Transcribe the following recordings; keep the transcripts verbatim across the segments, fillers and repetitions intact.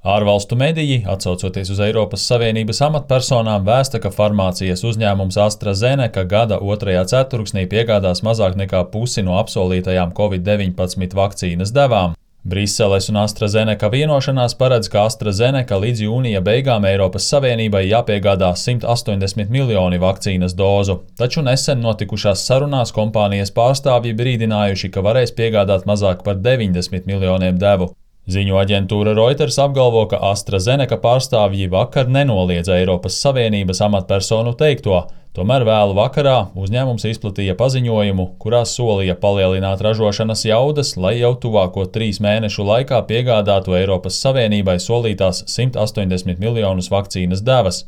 Ārvalstu mediji, atsaucoties uz Eiropas Savienības amatpersonām, vēsta, ka farmācijas uzņēmums AstraZeneca gada otrajā ceturksnī piegādās mazāk nekā pusi no apsolītajām covid deviņpadsmit vakcīnas devām. Briseles un AstraZeneca vienošanās paredz, ka AstraZeneca līdz jūnija beigām Eiropas Savienībai jāpiegādā simt astoņdesmit miljoni vakcīnas dozu, taču nesen notikušās sarunās kompānijas pārstāvji brīdinājuši, ka varēs piegādāt mazāk par deviņdesmit miljoniem devu. Ziņu aģentūra Reuters apgalvo, ka AstraZeneca pārstāvji vakar nenoliedza Eiropas Savienības amatpersonu teikto, tomēr vēlu vakarā uzņēmums izplatīja paziņojumu, kurā solīja palielināt ražošanas jaudas, lai jau tuvāko trīs mēnešu laikā piegādātu Eiropas Savienībai solītās simt astoņdesmit miljonus vakcīnas devas.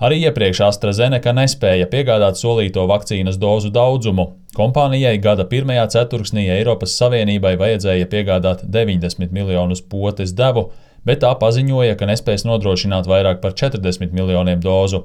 Arī iepriekš AstraZeneca nespēja piegādāt solīto vakcīnas dozu daudzumu. Kompānijai gada pirmajā ceturksnī Eiropas Savienībai vajadzēja piegādāt deviņdesmit miljonus potes devu, bet tā paziņoja, ka nespēs nodrošināt vairāk par četrdesmit miljoniem dozu.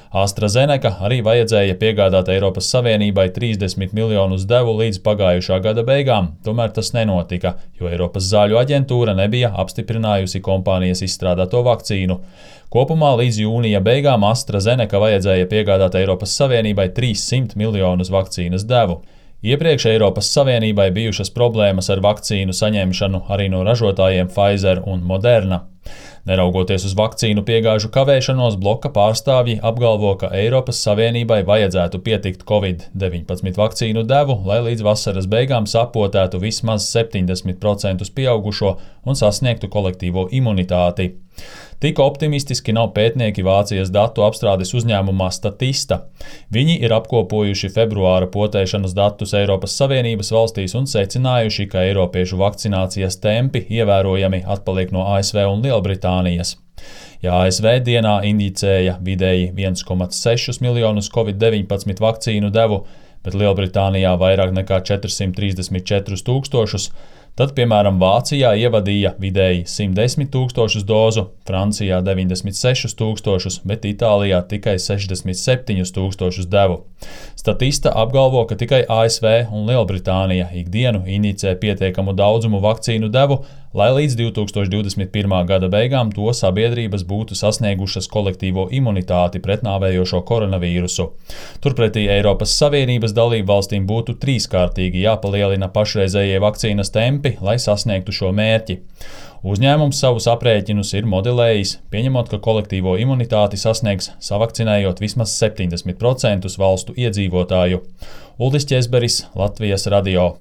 AstraZeneca arī vajadzēja piegādāt Eiropas Savienībai trīsdesmit miljonus devu līdz pagājušā gada beigām, tomēr tas nenotika, jo Eiropas zāļu aģentūra nebija apstiprinājusi kompānijas izstrādāto vakcīnu. Kopumā līdz jūnija beigām AstraZeneca vajadzēja piegādāt Eiropas Savienībai trīssimt miljonus vakcīnas devu. Iepriekš Eiropas Savienībai bijušas problēmas ar vakcīnu saņemšanu arī no ražotājiem Pfizer un Moderna. Neraugoties uz vakcīnu piegāžu kavēšanos, bloka pārstāvji apgalvo, ka Eiropas Savienībai vajadzētu pietikt covid deviņpadsmit vakcīnu devu, lai līdz vasaras beigām sapotētu vismaz septiņdesmit procentus pieaugušo un sasniegtu kolektīvo imunitāti. Tik optimistiski nav pētnieki Vācijas datu apstrādes uzņēmumā Statista. Viņi ir apkopojuši februāra potēšanas datus Eiropas Savienības valstīs un secinājuši, ka eiropiešu vakcinācijas tempi ievērojami atpaliek no A S V un Lielbritānijas. Ja A S V dienā injicēja vidēji viens komats sešus miljonus covid deviņpadsmit vakcīnu devu, bet Lielbritānijā vairāk nekā četrsimt trīsdesmit četrus tūkstošus, tad, piemēram, Vācijā ievadīja vidēji simt desmit tūkstošus dozu, Francijā deviņdesmit sešus tūkstošus, bet Itālijā tikai sešdesmit septiņus tūkstošus devu. Statista apgalvo, ka tikai A S V un Lielbritānija ikdienu injicē pietiekamu daudzumu vakcīnu devu, lai līdz divi tūkstoši divdesmit pirmā gada beigām to sabiedrības būtu sasniegušas kolektīvo imunitāti pret nāvējošo koronavīrusu. Turpretī Eiropas Savienības dalību valstīm būtu trīskārtīgi jāpalielina pašreizējie vakcīnas tempi, lai sasniegtu šo mērķi. Uzņēmums savus aprēķinus ir modelējis, pieņemot, ka kolektīvo imunitāti sasniegs savakcinējot vismaz septiņdesmit procentus valstu iedzīvotāju. Uldis Ķezberis, Latvijas radio.